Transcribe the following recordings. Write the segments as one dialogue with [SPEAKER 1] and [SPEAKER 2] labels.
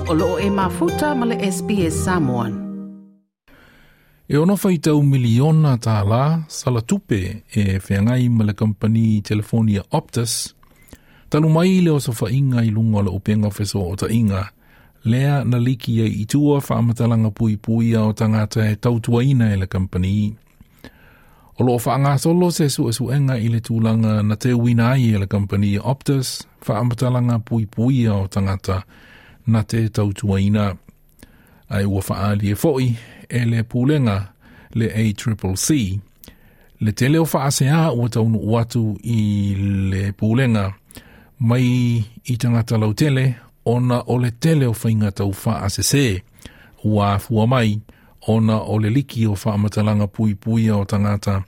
[SPEAKER 1] O loo e mafuta ma le SBS Samoan.
[SPEAKER 2] E ono faitau miliona tālā sala tupe e wheangai ma le kampani telefonia Optus, talu mai le o sofainga i lunga o le upenga feso o tainga, lea na liki ai i tua whaamatalanga pui puia o tangata e tautuaina e le kampani. O loo whaangasolo se suesuenga i le tūlanga na te uina ai e le kampani Optus, whaamatalanga pui puia o tangata na te tautuaina. Ai ua whaali e foi e le pulenga le ACCC. Le tele o whaasea ua taunu uatu i le pulenga mai i tangata lautele ona o le tele o whainga tau whaasese ua afua mai ona o le liki o whaamatalanga pui puia o tangata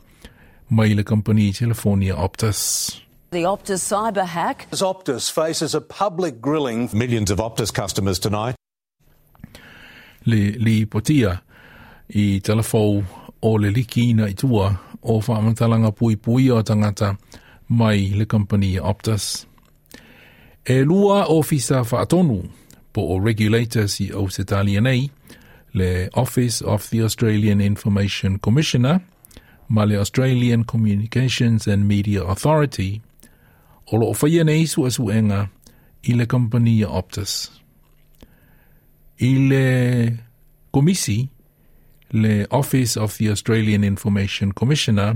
[SPEAKER 2] mai le kampani telefonia Optus.
[SPEAKER 3] The Optus cyber hack.
[SPEAKER 4] As Optus faces a public grilling.
[SPEAKER 5] Millions of Optus customers tonight.
[SPEAKER 2] Le li potia i telefou o le liki ina i tua o whaamatalanga pui puia o tangata mai le kampani Optus. E lua ofisa whaatonu po o regulators i Ausitalia nei, le Office of the Australian Information Commissioner, ma le Australian Communications and Media Authority, o lo whaia nei suesuenga i le kampani Optus. I le komisi, le Office of the Australian Information Commissioner,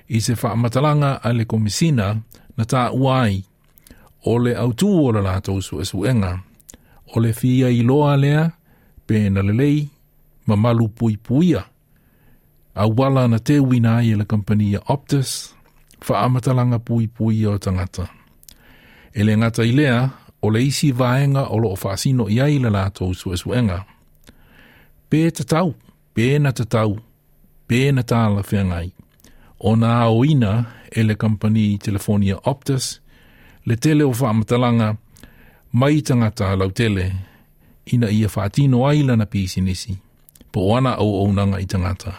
[SPEAKER 2] i se whaamatalanga a le komisina na tā uai o le autu o le lātou suesuenga, o le fia i loa lea, pe na lelei, mamalu pui puia. A wala na te wina ai e le kampania Optus, whaamatalanga pui puia o tangata. E le ngata i lea, o le isi vaenga o lo o whaasino i ai le lātou suesuenga. Pe tatau, pe na tatau, pe na tāla whengai. O nā oina e le kampani telefonia Optus, le tele o whaamatalanga mai tangata lautele, ina ia whaatino ai lana pisinisi, po o ana au au nanga i tangata.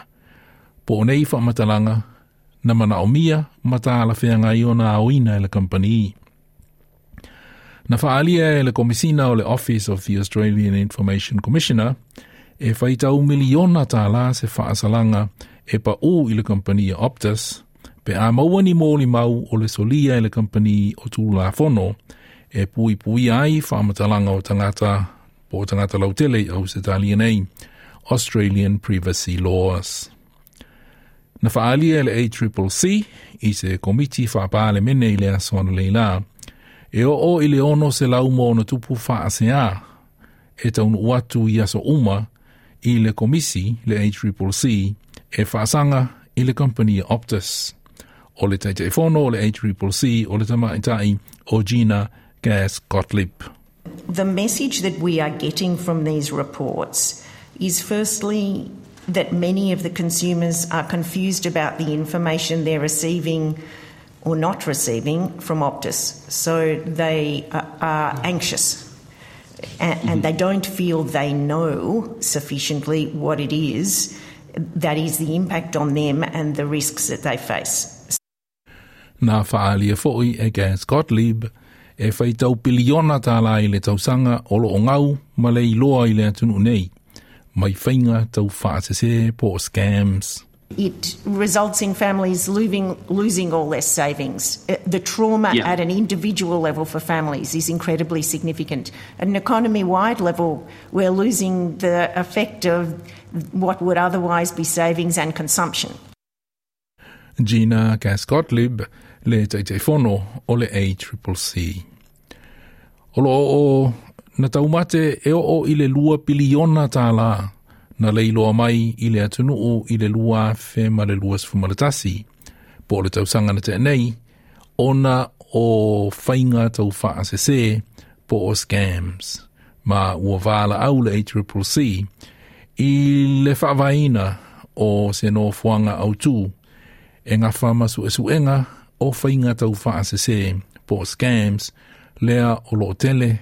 [SPEAKER 2] Po o nei whaamatalanga, na mana o mia mataala whengai o nā oina e le kampani. Na whaalia e le komisina o le Office of the Australian Information Commissioner, e whaitau miliona tālā se whaasalanga e pa u i le kampani Optus, pe a maua ni mōli mau o le solia e le kampani o tūla fono, e pui pui ai whaamatalanga o tangata, po o tangata lautele au se talia nei, Australian Privacy Laws. Na whaalia e le ACCC i se komiti whaapale mene i le asoana leila, e o o i le ono se laumo o na tupu whaasea, e taunu uatu i aso uma i le komisi, le ACCC, e whaasanga i le kampani Optus. O le taitaifono o le ACCC o le tamaitai o Gina Cass Gottlieb.
[SPEAKER 6] The message that we are getting from these reports is firstly that many of the consumers are confused about the information they're receiving or not receiving from Optus. So they are anxious and they don't feel they know sufficiently what it is that is the impact on them and the risks that they face.
[SPEAKER 2] Nā whaalia foi e Cass Gottlieb e whaitau piliona tālā i le tausanga o lo o ngau ma le iloa i le atunu nei. Mai whainga tau whaasese po o scams.
[SPEAKER 6] It results in families losing all their savings. The trauma at an individual level for families is incredibly significant. At an economy-wide level, we're losing the effect of what would otherwise be savings and consumption.
[SPEAKER 2] Gina Cass Gottlieb le taitaifono o le ACCC. O lo o na taumate e o i le lua piliona tālā na leiloa mai i le atunuu i le lua awhe ma le lua sfumalatasi. Po o le tausanga na te nei, ona o whainga tau whaasese po o scams. Ma ua wāla au le ACCC i le whaavaina o se no fuanga au tū e ngā whamasu e suenga o whainga tau whaasese po o scams lea o lo tele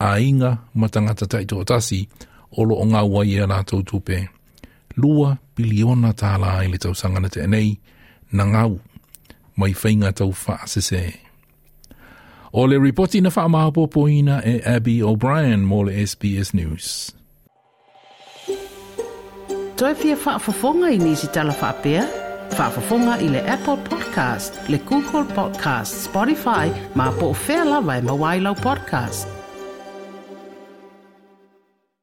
[SPEAKER 2] a inga matangata taito tasi o lo o ngā wai e rātou tupe. Lua piliona tālā i le tausanga na te nei, na ngau, mai whainga tau whaasese. O le ripoti na faamaopoopoina e Abby O'Brien mo le SBS News.
[SPEAKER 1] Toe fia faafofoga i nisi tala faapea? Faafofoga i le Apple Podcast, le Google Podcast, Spotify, ma po o fea lava e maua ai lau podcast.